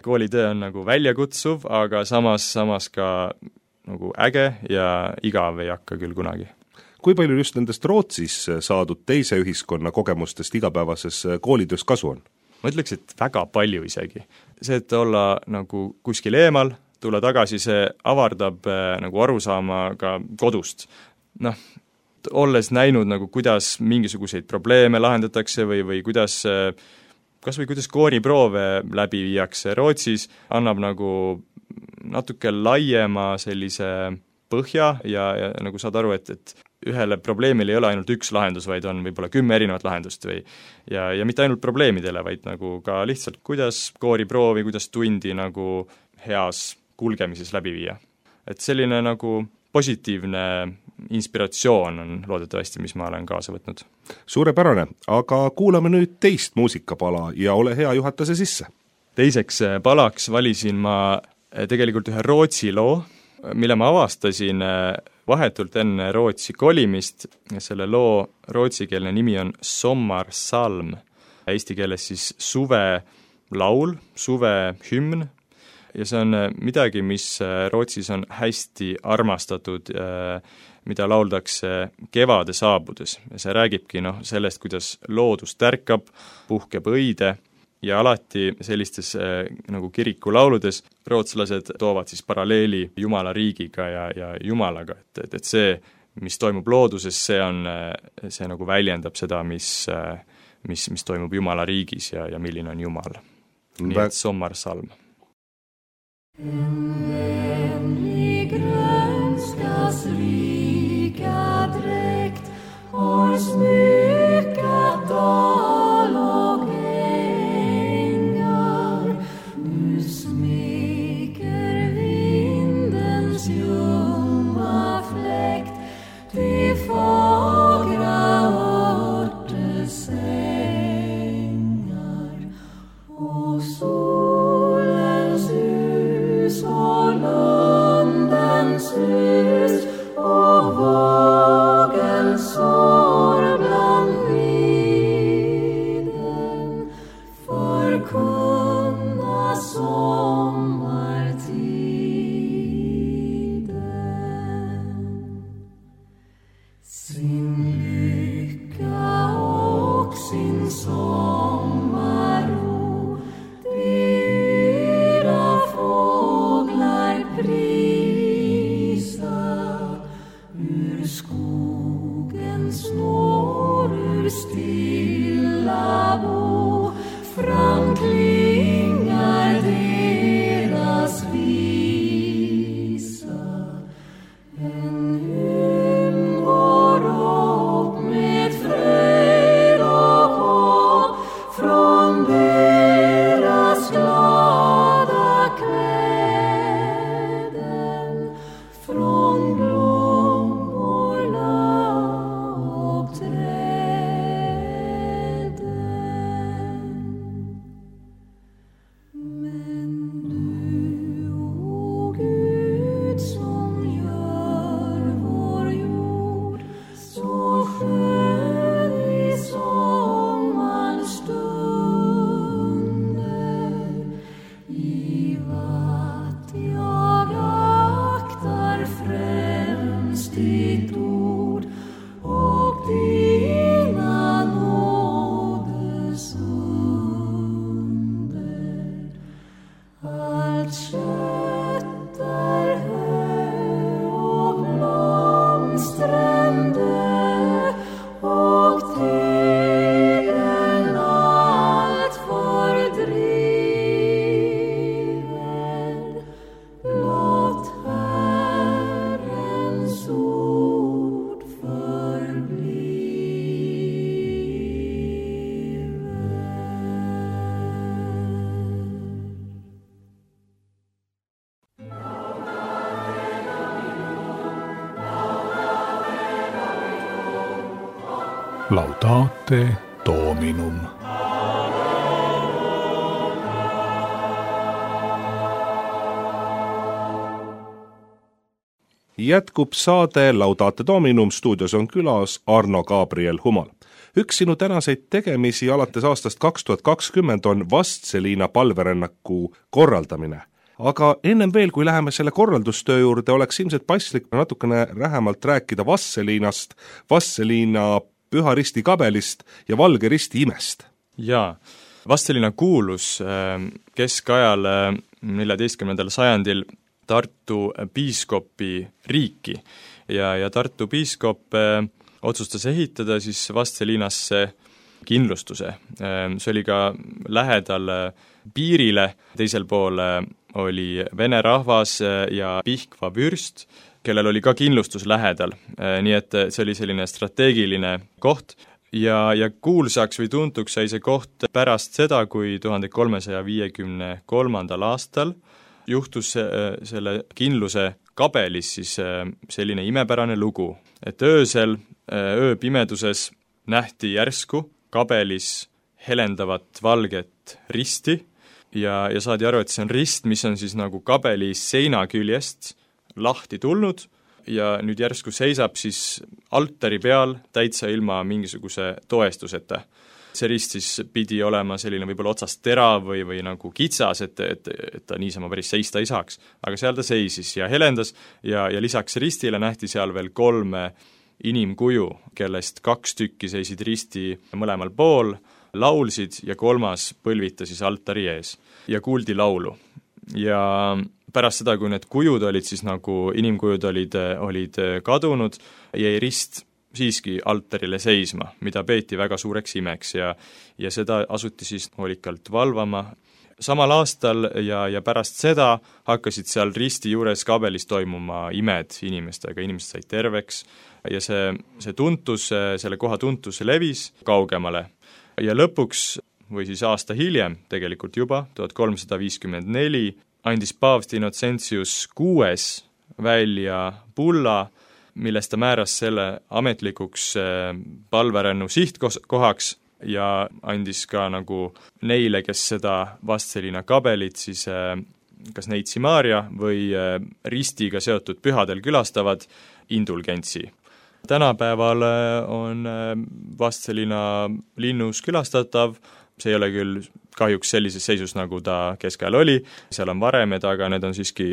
Koolitöö on nagu väljakutsuv, aga samas, samas ka nagu äge ja igav ei hakka küll kunagi. Kui palju just nendest Rootsis saadud teise ühiskonna kogemustest igapäevases koolitöös kasu on? Ma ütleks, et väga palju isegi. See, et olla nagu kuskil eemal, tulla tagasi, see avardab nagu arusaama ka kodust. Noh, olles näinud nagu kuidas mingisuguseid probleeme lahendatakse või, või kuidas kas või kuidas kooriproove läbi viiakse Rootsis, annab nagu natuke laiema sellise põhja ja, ja nagu saad aru, et, et ühele probleemile ei ole ainult üks lahendus, vaid on võib-olla kümme erinevat lahendust või ja, ja mitte ainult probleemidele, vaid nagu ka lihtsalt kuidas kooriproovi, kuidas tundi nagu heas kulgemises läbi viia. Et selline nagu positiivne inspiratsioon on loodetavasti, mis ma olen kaasa võtnud. Suurepärane, aga kuulame nüüd teist muusikapala ja ole hea, juhata see sisse. Teiseks palaks valisin ma tegelikult ühe Rootsi loo, mille ma avastasin vahetult enne Rootsi kolimist, selle loo rootsikeelne nimi on Sommarsalm, eesti keeles siis suve laul, suve hümn, ja see on midagi, mis Rootsis on hästi armastatud, mida lauldakse kevade saabudes. Ja see räägibki noh, sellest, kuidas loodus tärkab, puhkeb õide, ja alati sellistes nagu kirikulauludes rootslased toovad siis paralleeli Jumala riigiga ja, ja Jumalaga, et, et, et see, mis toimub looduses, see on, see nagu väljendab seda, mis, mis, mis toimub Jumala riigis ja, ja milline on Jumal. Nii et Sommarsalm. En vänlig grönskas rika dräkt har smyckat dal och ängar. Nu smeker vindens ljumma fläkt de fagra örtesängar och solens hus och lundens hus och vågens sår bland viden förkunna sommartiden. Sin lycka och sin sommarro dyra fåglar prisa. Ur skogens snår, ur stilla bo framklingar deras visa. En hymn går upp med fröjd och hopp från deras glada kläden, från blommorna och träden. Men du, o Gud, som gör vår jord så skön i sommarns stunder, giv att jag aktar främst ditt ord och dina nådes under. Allt kött är hö och blomstrande och tegel allt fördriven. Låt Herrens ord förbliven. Laudate Dominum. Jätkub saade Laudate Dominum, stuudios on külas Arno Gabriel Humal. Üks sinu tänaseid tegemisi alates aastast kaks tuhat kakskümmend on Vastseliina palverännaku korraldamine. Aga ennem veel, kui läheme selle korraldustöö juurde, oleks ilmselt paslik natukene lähemalt rääkida Vastseliinast, Vastseliina Püha Risti kabelist ja Valge Risti imest. Jaa, Vastseliina kuulus keskajal neljateistkümnendal sajandil Tartu piiskopi riiki ja, ja Tartu piiskop otsustas ehitada siis Vastseliinasse kindlustuse. See oli ka lähedal piirile, teisel pool oli vene rahvas ja Pihkva vürst, kellel oli ka kindlustus lähedal, nii et see oli selline strateegiline koht ja, ja kuulsaks või tuntuks sai see koht pärast seda, kui tuhande kolmesaja viiekümne kolmandal aastal juhtus selle kindluse kabelis siis selline imepärane lugu, et öösel, ööpimeduses nähti järsku kabelis helendavat valget risti ja, ja saadi aru, et see on rist, mis on siis nagu kabeli seina küljest lahti tulnud ja nüüd järsku seisab siis altari peal täitsa ilma mingisuguse toestuseta. See rist siis pidi olema selline võib-olla otsast terav või, või nagu kitsas, et, et, et ta niisama päris seista ei saaks. Aga seal ta seisis ja helendas ja, ja lisaks ristile nähti seal veel kolme inimkuju, kellest kaks tükki seisid risti mõlemal pool, laulsid ja kolmas põlvita siis altari ees ja kuuldi laulu. Ja pärast seda, kui need kujud olid siis nagu inimkujud olid, olid kadunud, jäi rist siiski altarile seisma, mida peeti väga suureks imeks ja, ja seda asuti siis hoolikalt valvama. Samal aastal ja, ja pärast seda hakkasid seal risti juures kabelis toimuma imed inimestega, inimesed said terveks ja see, see tuntus, selle koha tuntus levis kaugemale. Ja lõpuks, või siis aasta hiljem tegelikult juba, tuhat kolmsada viiskümmend neli, andis paavst Innocentius kuues välja bulla, millest ta määras selle ametlikuks palverännu sihtkohaks ja andis ka nagu neile, kes seda Vastseliina kabelit siis kas Neitsi Maarja või ristiga seotud pühadel külastavad indulgentsi. Tänapäeval on Vastseliina linnus külastatav, see ei ole küll kahjuks sellises seisus, nagu ta keskajal oli, seal on varemed, aga need on siiski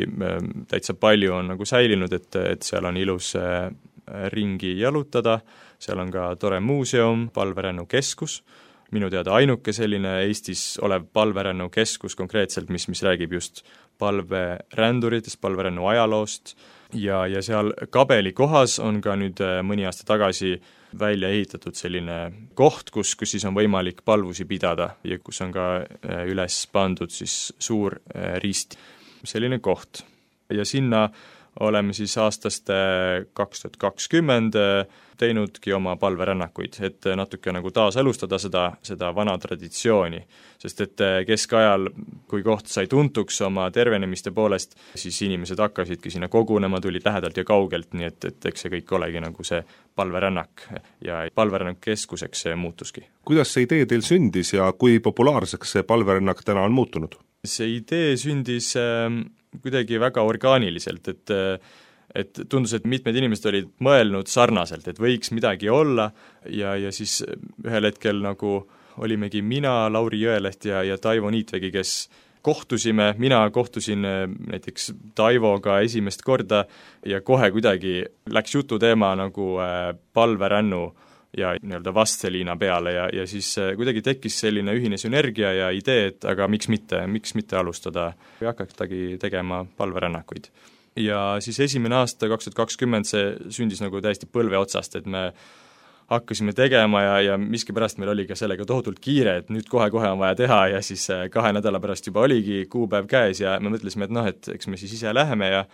täitsa palju on nagu säilinud, et, et seal on ilus ringi jalutada, seal on ka tore muuseum, palverännu keskus, minu teada ainuke selline Eestis olev palverännu keskus konkreetselt, mis, mis räägib just palveränduritest, palverännu ajaloost ja, ja seal kabeli kohas on ka nüüd mõni aasta tagasi välja ehitatud selline koht, kus, kus siis on võimalik palvusi pidada ja kus on ka üles pandud siis suur rist. Selline koht. Ja sinna oleme siis aastast kaks tuhat kakskümmend teinudki oma palverännakuid, et natuke nagu taaselustada seda, seda vana traditsiooni. Sest et keskajal, kui koht sai tuntuks oma tervenemiste poolest, siis inimesed hakkasidki sinna kogunema, tulid lähedalt ja kaugelt, nii et, et eks see kõik olegi nagu see palverännak ja palverännak keskuseks see muutuski. Kuidas see idee teil sündis ja kui populaarseks see palverännak täna on muutunud? See idee sündis äh, kuidagi väga orgaaniliselt, et et tundus, et mitmed inimesed olid mõelnud sarnaselt, et võiks midagi olla ja, ja siis ühel hetkel nagu olimegi mina, Lauri Jõeleht ja, ja Taivo Niitvegi, kes kohtusime, mina kohtusin näiteks Taivoga esimest korda ja kohe kuidagi läks jututeema nagu palverännu ja nii-öelda Vastseliina peale ja, ja siis kuidagi tekkis selline ühine sünergia ja idee, et aga miks mitte, miks mitte alustada või hakatagi tegema palverännakuid. Ja siis esimene aasta, kaks tuhat kakskümmend, see sündis nagu täiesti põlve otsast, et me hakkasime tegema ja, ja miskipärast meil oli ka sellega tohutult kiire, et nüüd kohe-kohe on vaja teha ja siis kahe nädala pärast juba oligi kuupäev käes ja me mõtlesime, et noh, et eks me siis ise läheme ja,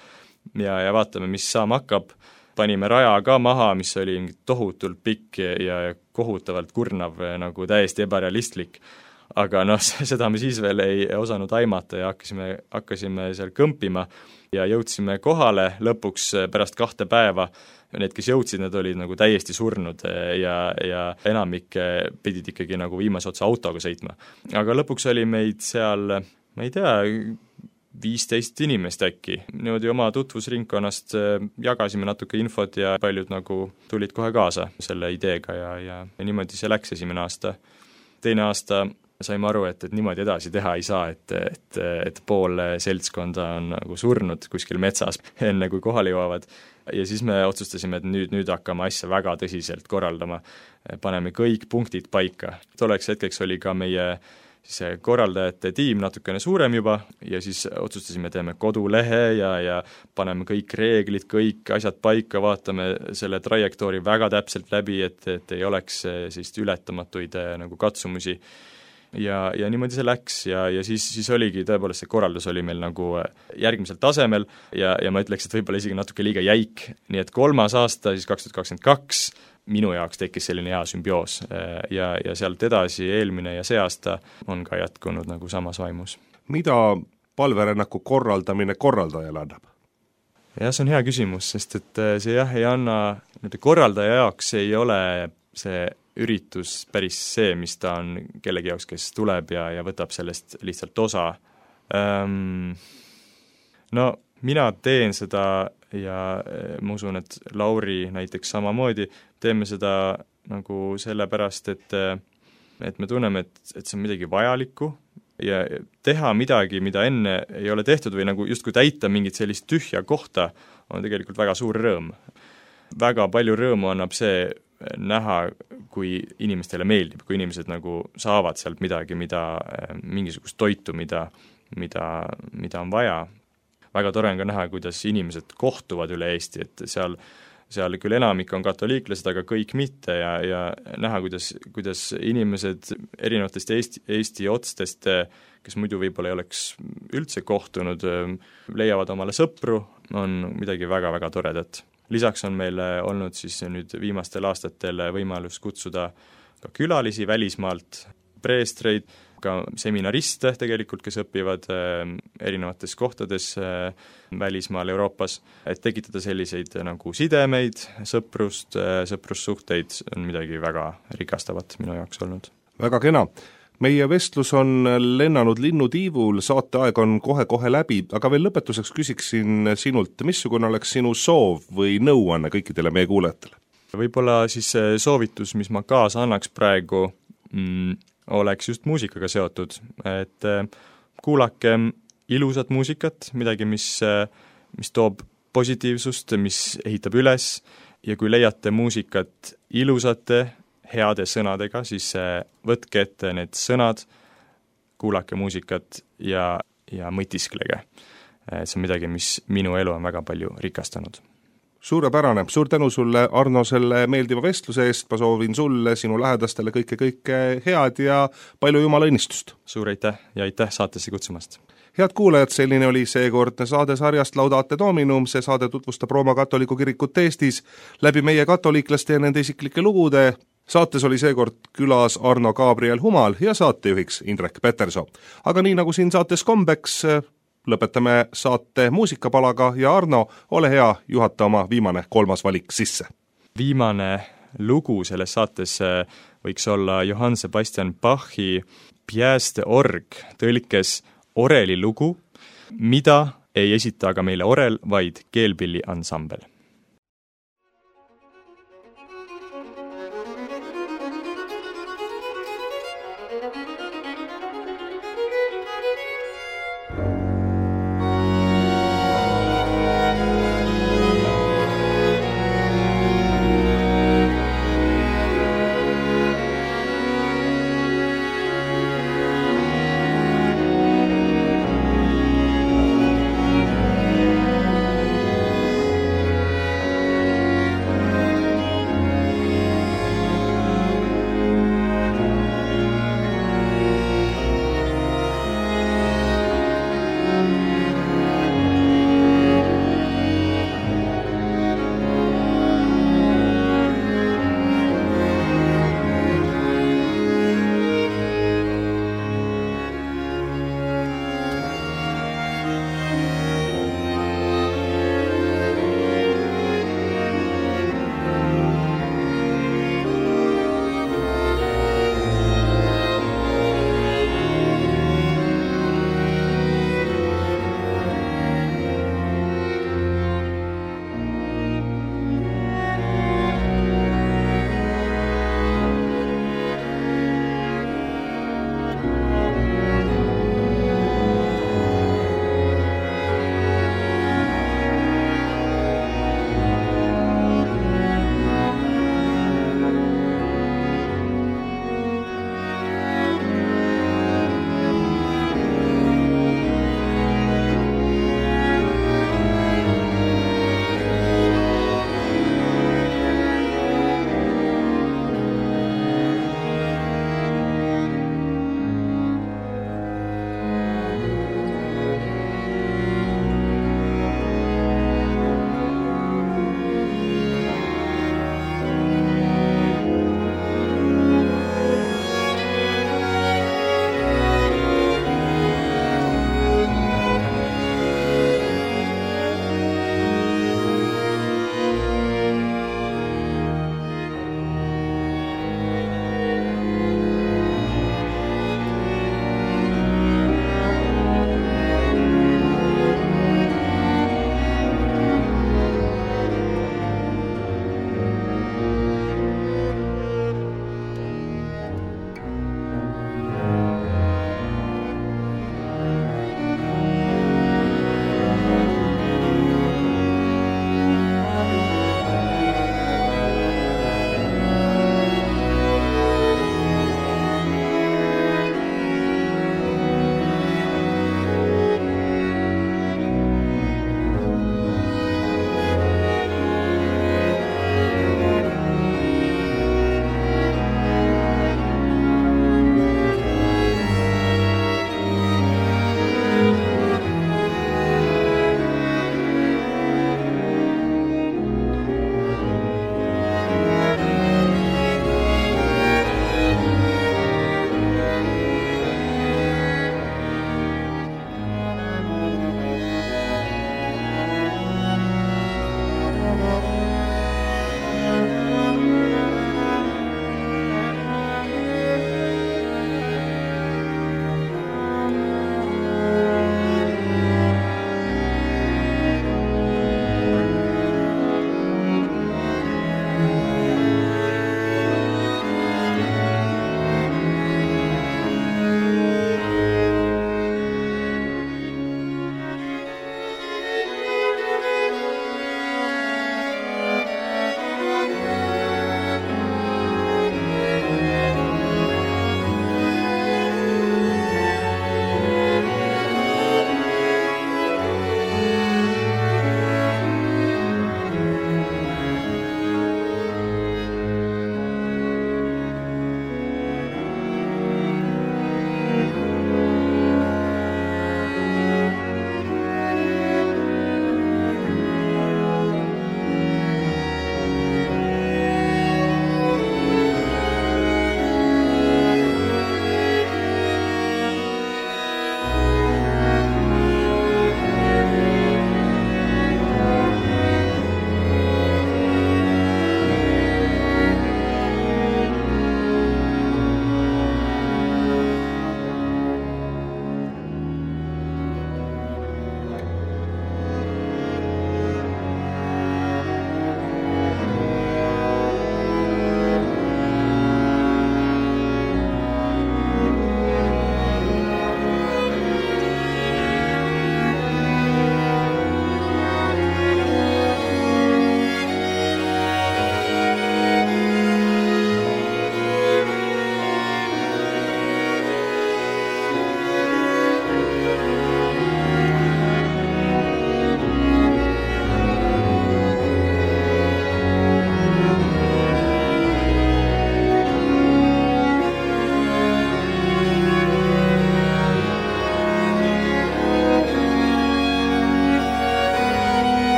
ja, ja vaatame, mis saama hakkab. Panime raja ka maha, mis oli tohutult pikk ja kohutavalt kurnav, nagu täiesti ebarealistlik. Aga noh, seda me siis veel ei osanud aimata ja hakkasime, hakkasime seal kõmpima ja jõudsime kohale lõpuks pärast kahte päeva. Need, kes jõudsid, need olid nagu täiesti surnud ja, ja enamik pidid ikkagi nagu viimase otsa autoga sõitma. Aga lõpuks oli meid seal, ma ei tea, viisteist inimest äkki. Niimoodi oma tutvusringkonnast jagasime natuke infot ja paljud nagu tulid kohe kaasa selle ideega ja, ja, ja niimoodi see läks esimene aasta. Teine aasta saime aru, et, et niimoodi edasi teha ei saa, et, et, et pool seltskonda on nagu surnud kuskil metsas enne, kui kohale jõuavad. Ja siis me otsustasime, et nüüd, nüüd hakkame asja väga tõsiselt korraldama. Paneme kõik punktid paika. Tolleks hetkeks oli ka meie siis korraldajate tiim natukene suurem juba ja siis otsustasime, teeme kodulehe ja, ja paneme kõik reeglid, kõik asjad paika, vaatame selle trajektoori väga täpselt läbi, et, et ei oleks sellist ületamatuid nagu katsumusi. Ja, ja niimoodi see läks ja, ja siis, siis oligi, tõepoolest see korraldus oli meil nagu järgmisel tasemel ja, ja ma ütleks, et võib-olla isegi natuke liiga jäik. Nii et kolmas aasta, siis kaks tuhat kakskümmend kaks, minu jaoks tekkis selline hea sümbioos ja, ja sealt edasi eelmine ja see aasta on ka jätkunud nagu samas vaimus. Mida palverännaku korraldamine korraldajale annab? Jah, see on hea küsimus, sest et see jah ei anna, korraldaja jaoks ei ole see üritus päris see, mis ta on kellegi jaoks, kes tuleb ja, ja võtab sellest lihtsalt osa. Ähm, no mina teen seda ja ma usun, et Lauri näiteks samamoodi, teeme seda nagu sellepärast, et, et me tunneme, et, et see on midagi vajalikku ja teha midagi, mida enne ei ole tehtud või nagu justkui täita mingit sellist tühja kohta, on tegelikult väga suur rõõm. Väga palju rõõmu annab see näha, kui inimestele meeldib, kui inimesed nagu saavad sealt midagi, mida, mingisugust toitu, mida, mida, mida on vaja. Väga tore on ka näha, kuidas inimesed kohtuvad üle Eesti, et seal, seal küll enamik on katoliiklased, aga kõik mitte ja, ja näha, kuidas, kuidas inimesed erinevatest Eesti, Eesti otstest, kes muidu võib-olla ei oleks üldse kohtunud, leiavad omale sõpru, on midagi väga-väga toredat. Lisaks on meil olnud siis nüüd viimastel aastatel võimalus kutsuda ka külalisi välismaalt, preestreid, ka seminariste tegelikult, kes õpivad erinevates kohtades välismaal Euroopas, et tekitada selliseid nagu sidemeid, sõprust, sõprussuhteid on midagi väga rikastavat minu jaoks olnud. Väga kena. Meie vestlus on lennanud linnutiivul, saateaeg on kohe-kohe läbi, aga veel lõpetuseks küsiksin sinult, missugune oleks sinu soov või nõuanne kõikidele meie kuulajatele? Võib-olla siis soovitus, mis ma kaasa annaks praegu, mm, oleks just muusikaga seotud, et kuulake ilusat muusikat, midagi, mis, mis toob positiivsust, mis ehitab üles ja kui leiate muusikat ilusate, heade sõnadega, siis võtke ette need sõnad, kuulake muusikat ja, ja mõtisklege. See on midagi, mis minu elu on väga palju rikastanud. Suurepärane, suur tänu sulle, Arno, selle meeldiva vestluse eest, ma soovin sulle, sinu lähedastele kõike-kõike head ja palju jumala õnnistust. Suur aitäh ja aitäh saatesse kutsumast. Head kuulajad, selline oli seekordne saade sarjast Laudate Dominum, see saade tutvustab Rooma katoliku kirikut Eestis läbi meie katoliiklaste ja nende isiklike lugude. Saates oli seekord külas Arno Gabriel Humal ja saatejuhiks Indrek Peterso. Aga nii nagu siin saates kombeks, lõpetame saate muusikapalaga ja Arno, ole hea, juhata oma viimane kolmas valik sisse. Viimane lugu selles saates võiks olla Johann Sebastian Bachi Pièce d'orgue, tõlkes oreli lugu, mida ei esita aga meile orel, vaid keelpilli ansambel.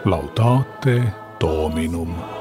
Laudate Dominum.